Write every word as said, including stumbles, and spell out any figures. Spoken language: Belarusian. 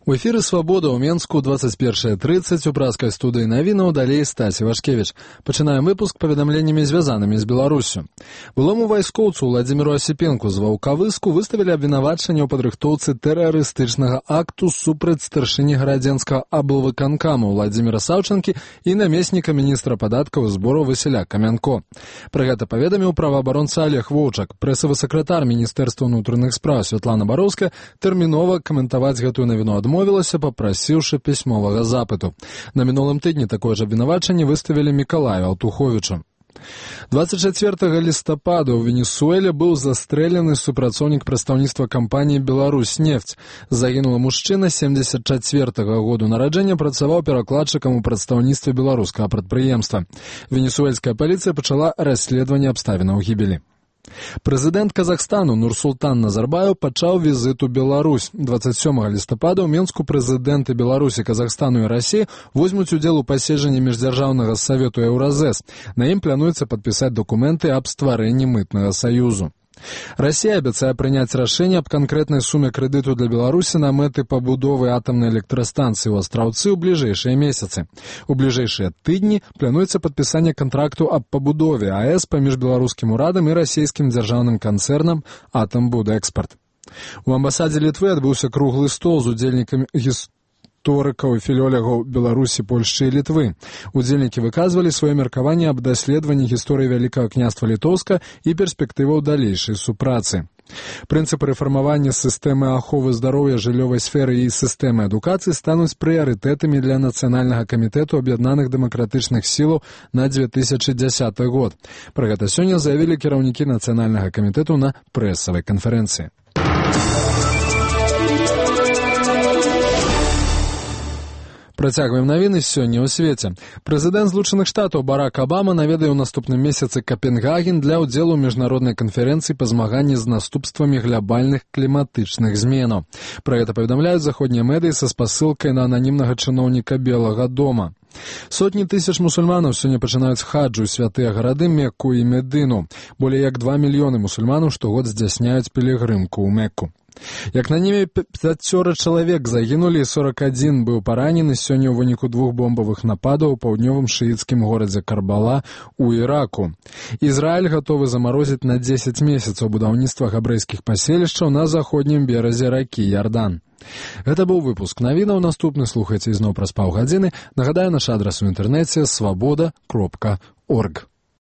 У эфіры «Свабода» ў Менску двадцать першая тридцать у праскай студыі навінаў, далей Стасі Вашкевіч. Пачынаем выпуск паведамленнямі, звязанымі з Беларуссю. Былому вайскоўцу Владзіміру Асіпенку з Ваўкавыску выставілі абвінавачанне ў падрыхтоўцы тэрарыстычнага акту супраць старшыні гарадзенскага аблвыканкаму Владзіміра Саўчанкі і намесніка міністра падаткаў і збораў Васіля Камянко. Пра гэта паведаміў праваабаронца Олег Воўчак. Прэсавы сакратар Міністэрства ўнутраных спраў Святлана Бароўская тэрмінова каментаваць гэтую навіну адмовілася, Мовілася, папрасіўшы пісьмовага запыту. На мінулым тыдні такое ж абвінавачанне выставілі Мікалаю Алтуховічу. двадцать чацвёртага лістапада ў Венесуэле быў застрэлены супрацоўнік прадстаўніцтва кампаніі «Беларусьнефть». Загінулы мужчына семдзесят чацвёртага году нараджэння, працаваў перакладчыкам у прадстаўніцтве беларускага прадпрыемства. Венесуэльская паліцыя пачала расследаванне абставінаў гібелі. Прэзідэнт Казахстану Нурсултан Назарбаев пачаў візит у Беларусь. двадцать сёмага лістапада ў Менску прэзідэнты Беларусі, Казахстану і Расіі возьмуць удзел у паседжанні міждзяржаўнага савету Еўразэс. На ім плануецца падпісаць дакументы аб стварэнні мытнага саюзу. Расія абяцае прыняць рашэнне аб канкрэтнай суме крэдыту для Беларусі на мэты пабудовы атамнай электрастанцыі ў Астраўцы ў бліжэйшыя месяцы. У бліжэйшыя тыдні плануецца падпісанне кантракту аб пабудове АЭС паміж беларускім урадам і расійскім дзяржаўным канцэрнам «Атамбудэкспарт». У амбасадзе Літвы адбыўся круглы стол з удзельнікамі гісторыі. Гісторыкаў і філолягаў Беларусі, Польшчы і Літвы. Удзельнікі выказвалі сваё меркаванне аб даследаванні гісторыі Вялікага княства Літоўска і перспектываў далейшай супрацы. Прынцыпы рэфармавання сістэмы аховы здароўя, жыллёвай сферы і сістэмы адукацыі стануць прыярытэтамі для Нацыянальнага камітэту аб'яднаных дэмакратычных сілаў на дзве тысячы дзясяты год. Пра гэта сёння заявілі кіраўнікі Нацыянальнага камітэту на прэсавай канферэнцыі. Працягваем навіны сёння ў свеце. Прэзідэнт Злучаных Штатаў Барак Абама наведае ў наступным месяцы Капенгаген для ўдзелу ў міжнароднай канферэнцыі па змаганні з наступствамі глобальных кліматычных зменаў. Пра гэта паведамляюць заходнія медыі са спасылкай на ананімнага чыноўніка Белага дома. Сотні тысяч мусульманаў сёння пачынаюць хаджу ў святыя гарады Мекку і Медыну. Болей як два мільёны мусульманаў штогод здзяйсняюць пілігрымку ў Мекку. Як на небе пяцёра чалавек загінулі, сорок адзін быў паранены сёння ў выніку двух бомбавых нападаў у паўднёвым шыіцкім горадзе Карбала ў Іраку. Ізраіль гатовы замарозіць на дзесяць месяцаў будаўніцтва габрэйскіх паселішчаў на заходнім беразе ракі Ярдан. Гэта быў выпуск навінаў. Наступны слухайце ізноў праз паўгадзіны. Нагадаю, наш адрас у інтэрнэце свабода кропка орг.